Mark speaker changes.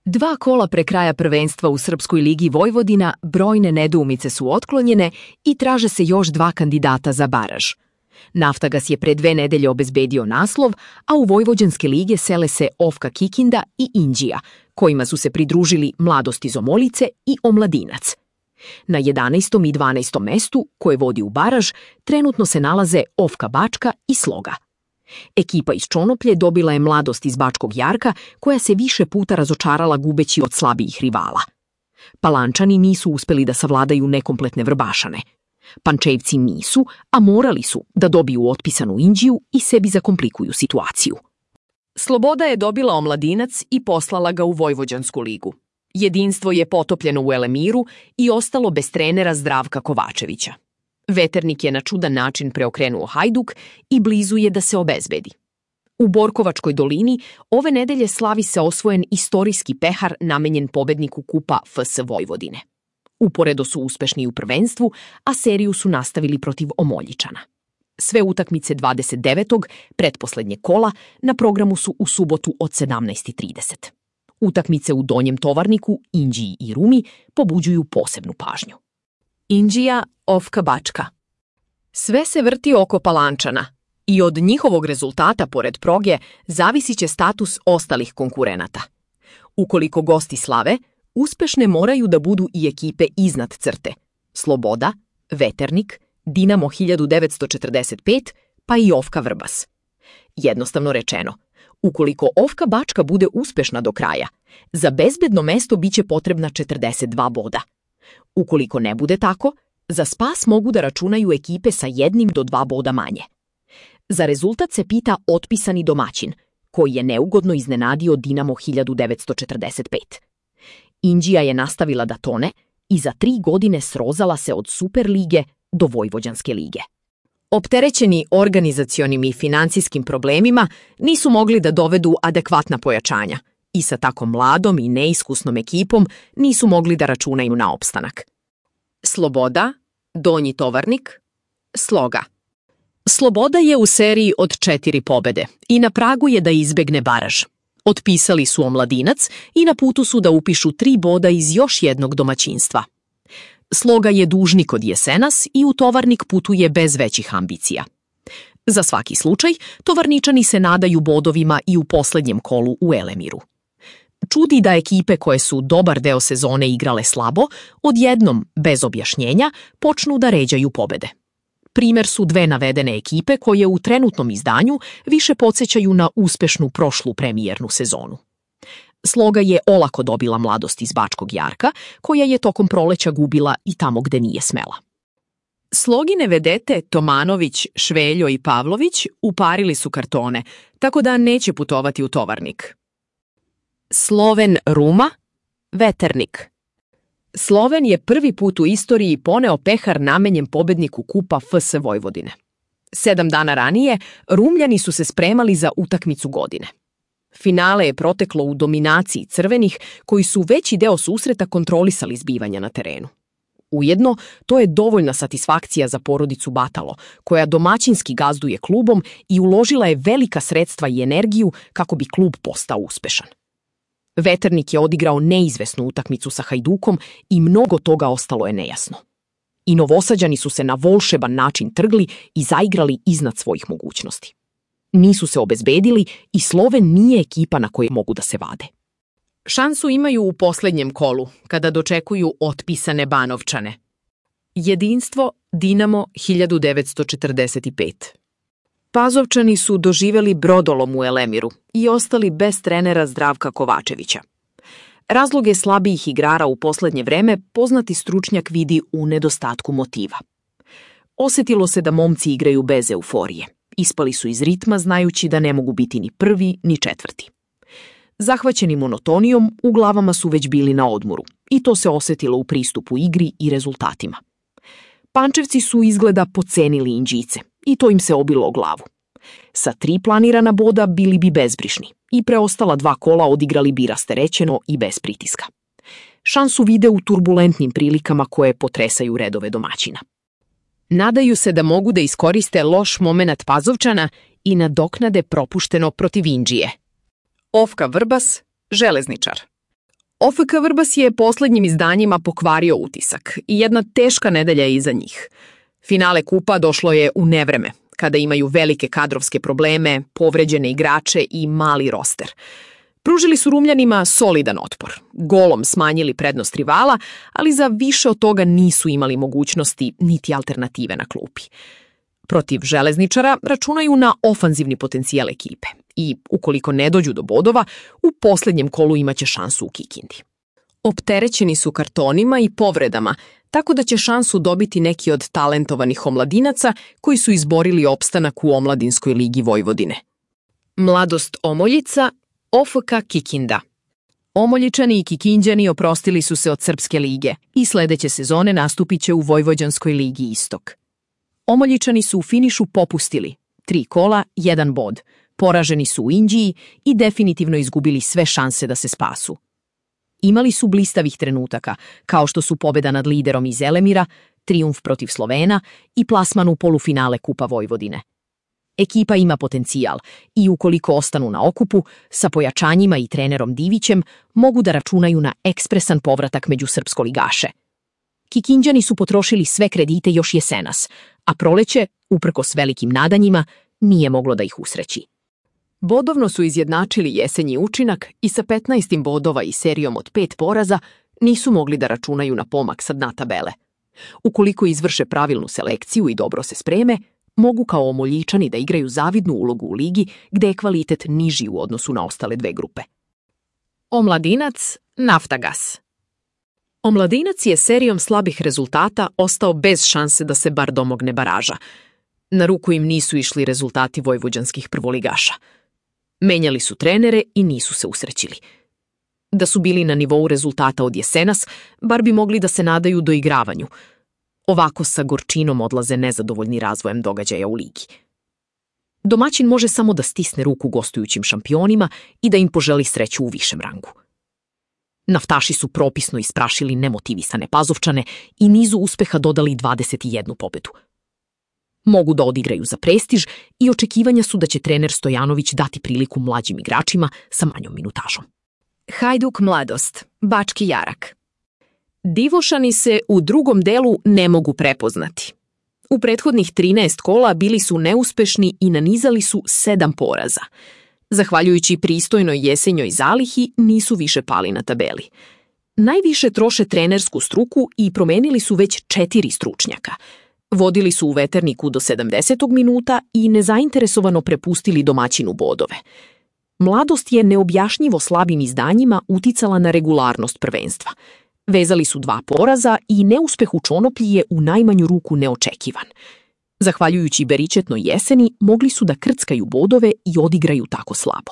Speaker 1: 2 kola pre kraja prvenstva u Srpskoj ligi Vojvodina brojne nedoumice su otklonjene i traže se još 2 kandidata za baraž. Naftagas je pre 2 nedelje obezbedio naslov, a u Vojvođanske lige sele se Ofka Kikinda i Inđija, kojima su se pridružili Mladost iz Omoljice i Omladinac. Na 11. i 12. mestu, koje vodi u baraž, trenutno se nalaze Ofka Bačka i Sloga. Ekipa iz Čonoplje dobila je Mladost iz Bačkog Jarka, koja se više puta razočarala gubeći od slabijih rivala. Palančani nisu uspeli da savladaju nekompletne Vrbašane. Pančevci nisu, a morali su da dobiju otpisanu Inđiju i sebi zakomplikuju situaciju. Sloboda je dobila Omladinac i poslala ga u Vojvođansku ligu. Jedinstvo je potopljeno u Elemiru i ostalo bez trenera Zdravka Kovačevića. Veternik je na čudan način preokrenuo Hajduk i blizu je da se obezbedi. U Borkovačkoj dolini ove nedelje slavi se osvojen istorijski pehar namenjen pobedniku kupa FS Vojvodine. Uporedo su uspešni u prvenstvu, a seriju su nastavili protiv Omoljičana. Sve utakmice 29. pretposlednje kola na programu su u subotu od 17:30. Utakmice u Donjem Tovarniku, Inđiji i Rumi pobuđuju posebnu pažnju. Inđija, Ofka Bačka. Sve se vrti oko Palančana i od njihovog rezultata pored proge zavisit će status ostalih konkurenata. Ukoliko gosti slave, uspešne moraju da budu i ekipe iznad crte: Sloboda, Veternik, Dinamo 1945, pa i Ofka Vrbas. Jednostavno rečeno, ukoliko Ofka Bačka bude uspešna do kraja, za bezbedno mesto biće potrebna 42 boda. Ukoliko ne bude tako, za spas mogu da računaju ekipe sa 1 do 2 boda manje. Za rezultat se pita otpisani domaćin, koji je neugodno iznenadio Dinamo 1945. Inđija je nastavila da tone i za 3 godine srozala se od Superlige do Vojvođanske lige. Opterećeni organizacionim i finansijskim problemima, nisu mogli da dovedu adekvatna pojačanja i sa tako mladom i neiskusnom ekipom nisu mogli da računaju na opstanak. Sloboda, Donji Tovarnik, Sloga. Sloboda je u seriji od 4 pobede i na pragu je da izbegne baraž. Otpisali su Omladinac i na putu su da upišu 3 boda iz još jednog domaćinstva. Sloga je dužnik od jesenas i u Tovarnik putuje bez većih ambicija. Za svaki slučaj, Tovarničani se nadaju bodovima i u poslednjem kolu u Elemiru. Čudi da ekipe koje su dobar deo sezone igrale slabo, odjednom, bez objašnjenja, počnu da ređaju pobede. Primer su 2 navedene ekipe koje u trenutnom izdanju više podsjećaju na uspešnu prošlu premijernu sezonu. Sloga je olako dobila Mladost iz Bačkog Jarka, koja je tokom proleća gubila i tamo gde nije smela. Slogine vedete Tomanović, Šveljo i Pavlović uparili su kartone, tako da neće putovati u Tovarnik. Sloven Ruma, Veternik. Sloven je prvi put u istoriji poneo pehar namenjen pobedniku kupa FS Vojvodine. 7 dana ranije Rumljani su se spremali za utakmicu godine. Finale je proteklo u dominaciji crvenih, koji su veći deo susreta kontrolisali zbivanja na terenu. Ujedno, to je dovoljna satisfakcija za porodicu Batalo, koja domaćinski gazduje klubom i uložila je velika sredstva i energiju kako bi klub postao uspešan. Veternik je odigrao neizvesnu utakmicu sa Hajdukom i mnogo toga ostalo je nejasno. I Novosađani su se na volšeban način trgli i zaigrali iznad svojih mogućnosti. Nisu se obezbedili i Sloven nije ekipa na koje mogu da se vade. Šansu imaju u poslednjem kolu, kada dočekuju otpisane Banovčane. Jedinstvo Dinamo 1945. Pazovčani su doživeli brodolom u Elemiru i ostali bez trenera Zdravka Kovačevića. Razloge slabijih igrara u poslednje vreme poznati stručnjak vidi u nedostatku motiva. Osetilo se da momci igraju bez euforije. Ispali su iz ritma znajući da ne mogu biti ni prvi ni četvrti. Zahvaćeni monotonijom, u glavama su već bili na odmoru i to se osetilo u pristupu igri i rezultatima. Pančevci su izgleda pocenili Inđice i to im se obilo o glavu. Sa 3 planirana boda bili bi bezbrišni i preostala 2 kola odigrali bi rasterećeno i bez pritiska. Šansu vide u turbulentnim prilikama koje potresaju redove domaćina. Nadaju se da mogu da iskoriste loš momenat Pazovčana i nadoknade propušteno protiv Inđije. Ofka Vrbas, Železničar. OFK Vrbas je posljednjim izdanjima pokvario utisak i jedna teška nedelja je iza njih. Finale kupa došlo je u nevreme, kada imaju velike kadrovske probleme, povređene igrače i mali roster. Pružili su Rumljanima solidan otpor, golom smanjili prednost rivala, ali za više od toga nisu imali mogućnosti niti alternative na klupi. Protiv Železničara računaju na ofanzivni potencijal ekipe i, ukoliko ne dođu do bodova, u posljednjem kolu imaće šansu u Kikindi. Opterećeni su kartonima i povredama, tako da će šansu dobiti neki od talentovanih omladinaca koji su izborili opstanak u Omladinskoj ligi Vojvodine. Mladost Omoljica, OFK Kikinda. Omoljičani i Kikinđani oprostili su se od Srpske lige i sledeće sezone nastupit će u Vojvođanskoj ligi Istok. Omoljičani su u finišu popustili, 3 kola, 1 bod, poraženi su u Inđiji i definitivno izgubili sve šanse da se spasu. Imali su blistavih trenutaka, kao što su pobjeda nad liderom iz Elemira, trijumf protiv Slovena i plasman u polufinale Kupa Vojvodine. Ekipa ima potencijal i ukoliko ostanu na okupu, sa pojačanjima i trenerom Divićem, mogu da računaju na ekspresan povratak među srpskoligaše. Kikinđani su potrošili sve kredite još jesenas, a proleće, uprkos velikim nadanjima, nije moglo da ih usreći. Bodovno su izjednačili jesenji učinak i sa 15 bodova i serijom od 5 poraza nisu mogli da računaju na pomak sa dna tabele. Ukoliko izvrše pravilnu selekciju i dobro se spreme, mogu kao Omoljičani da igraju zavidnu ulogu u ligi gde je kvalitet niži u odnosu na ostale 2 grupe. Omladinac, Naftagas. Omladinac je serijom slabih rezultata ostao bez šanse da se bar domogne baraža. Na ruku im nisu išli rezultati vojvođanskih prvoligaša. Menjali su trenere i nisu se usrećili. Da su bili na nivou rezultata od jesenas, bar bi mogli da se nadaju doigravanju. Ovako sa gorčinom odlaze nezadovoljni razvojem događaja u ligi. Domaćin može samo da stisne ruku gostujućim šampionima i da im poželi sreću u višem rangu. Naftaši su propisno isprašili nemotivisane Pazovčane i nizu uspeha dodali 21 pobedu. Mogu da odigraju za prestiž i očekivanja su da će trener Stojanović dati priliku mlađim igračima sa manjom minutažom. Hajduk Mladost, Bački Jarak. Divošani se u drugom delu ne mogu prepoznati. U prethodnih 13 kola bili su neuspešni i nanizali su 7 poraza. Zahvaljujući pristojnoj jesenjoj zalihi, nisu više pali na tabeli. Najviše troše trenersku struku i promenili su već 4 stručnjaka. Vodili su u Veterniku do 70. minuta i nezainteresovano prepustili domaćinu bodove. Mladost je neobjašnjivo slabim izdanjima uticala na regularnost prvenstva. Vezali su 2 poraza i neuspeh u Čonoplji je u najmanju ruku neočekivan. Zahvaljujući beričetnoj jeseni, mogli su da krckaju bodove i odigraju tako slabo.